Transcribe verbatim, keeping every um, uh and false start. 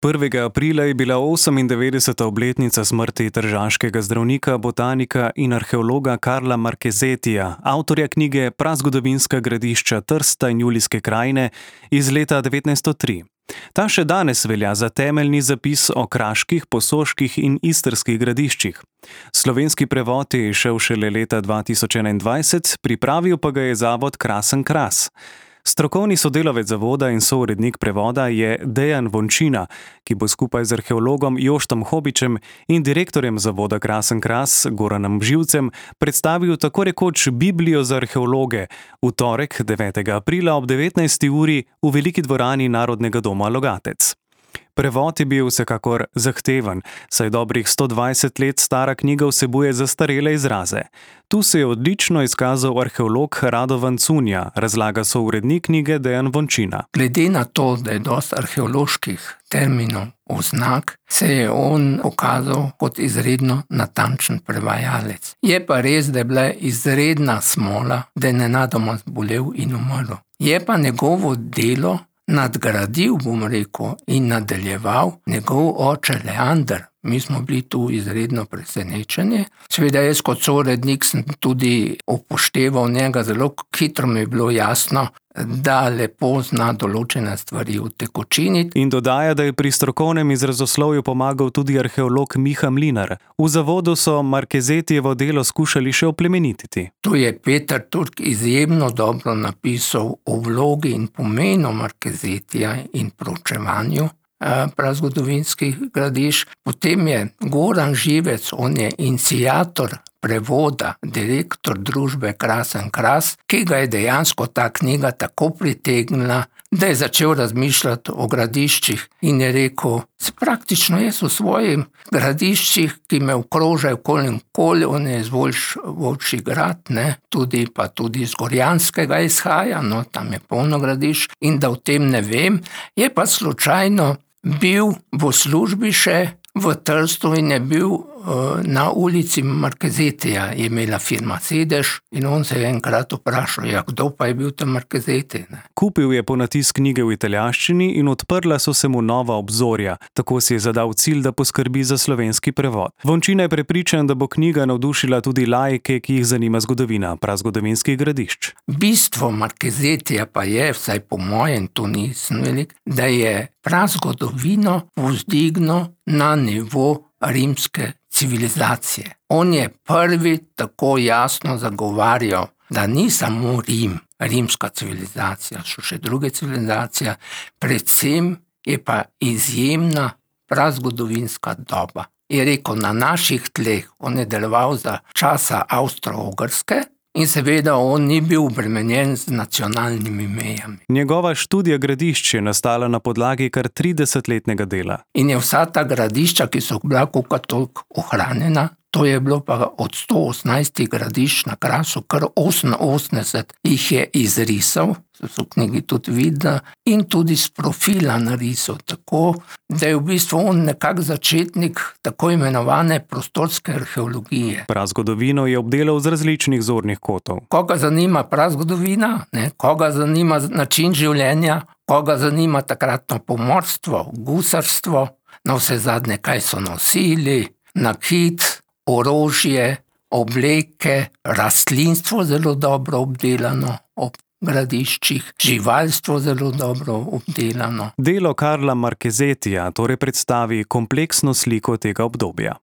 prvega aprila je bila osemindevetdeseta obletnica smrti tržaškega zdravnika, botanika in arheologa Karla Marchesettija, avtorja knjige Prazgodovinska gradišča Trsta in Julijske krajine iz leta devetnajststo tri. Ta še danes velja za temeljni zapis o kraških, posoških in istrskih gradiščih. Slovenski prevod je izšel šele leta dva tisoč enaindvajset, pripravil pa ga je zavod Krasen Kras. Strokovni sodelavec zavoda in sourednik prevoda je Dejan Vončina, ki bo skupaj z arheologom Joštom Hobičem in direktorjem zavoda Krasen Kras Goranom Živcem predstavil tako rekoč Biblijo za arheologe v torek, devetega aprila ob devetnajsti uri v veliki dvorani Narodnega doma Logatec. Prevod je bil vsekakor zahteven, saj dobrih sto dvajset let stara knjiga vsebuje zastarele izraze. Tu se je odlično izkazal arheolog Radovan Cunja, razlaga sourednik knjige Dejan Vončina. Glede na to, da je dosti arheoloških terminov, oznak, se je on okazal kot izredno natančen prevajalec. Je pa res, da je bila izredna smola, da je nenadoma zbolel in umrl. Je pa njegovo delo nadgradil, bom rekel, in nadaljeval njegov oče Leander. Mi smo bili tu izredno presenečeni. Seveda jaz kot sourednik sem tudi upošteval njega, zelo hitro mi je bilo jasno, da lepo zna določene stvari utekočiniti. In dodaja, da je pri strokovnem izrazoslovju pomagal tudi arheolog Miha Mlinar. V zavodu so Marchesettijevo delo skušali še oplemenititi. Tu je Peter Turk izjemno dobro napisal o vlogi in pomenu Marchesettija in proučevanju prazgodovinskih gradišč. Potem je Goran Živec, on je iniciator prevoda, direktor družbe Krasen Kras, ki ga je dejansko ta knjiga tako pritegnila, da je začel razmišljati o gradiščih in je rekel, praktično jaz v svojih gradiščih, ki me okrožajo okoli in okoli, on je iz Volčji Grad, ne, tudi pa tudi iz Gorjanskega izhaja, no, tam je polno gradišč, in da o tem ne vem, je pa slučajno bil v službi še v Trstu in je bil uh, na ulici Marchesettija, je imela firma sedež in on se je enkrat vprašal, ja, kdo pa je bil tam Marchesetti, ne? Kupil je ponatis knjige v italijanščini in odprla so se mu nova obzorja. Tako si je zadal cilj, da poskrbi za slovenski prevod. Vončina je prepričan, da bo knjiga navdušila tudi laike, ki jih zanima zgodovina prazgodovinskih gradišč. Bistvo Marchesettija pa je, vsaj po mojem, to nisem velik, da je prazgodovino povzdignil na nivo rimske civilizacije. On je prvi tako jasno zagovarjal, da ni samo Rim, rimska civilizacija, so še druge civilizacije, predvsem je pa izjemna prazgodovinska doba. Je rekel, na naših tleh, on je deloval za časa Avstro-Ogrske, in seveda on ni bil obremenjen z nacionalnimi mejami. Njegova študija gradišč je nastala na podlagi kar tridesetletnega dela. In je vsa ta gradišča, ki so bila kakor toliko ohranjena, to je bilo pa od sto osemnajst gradišč na Krasu, kar oseminosemdeset jih je izrisal, so v knjigi tudi vidno, in tudi z profila narisal, tako da je v bistvu on nekak začetnik tako imenovane prostorske arheologije. Prazgodovino je obdelal z različnih zornih kotov. Koga zanima prazgodovina, ne? Koga zanima način življenja, koga zanima takratno pomorstvo, gusarstvo, na vse zadnje, kaj so nosili, nakit, orožje, obleke, rastlinstvo zelo dobro obdelano ob gradiščih, živalstvo zelo dobro obdelano. Delo Karla Marchesettija torej predstavi kompleksno sliko tega obdobja.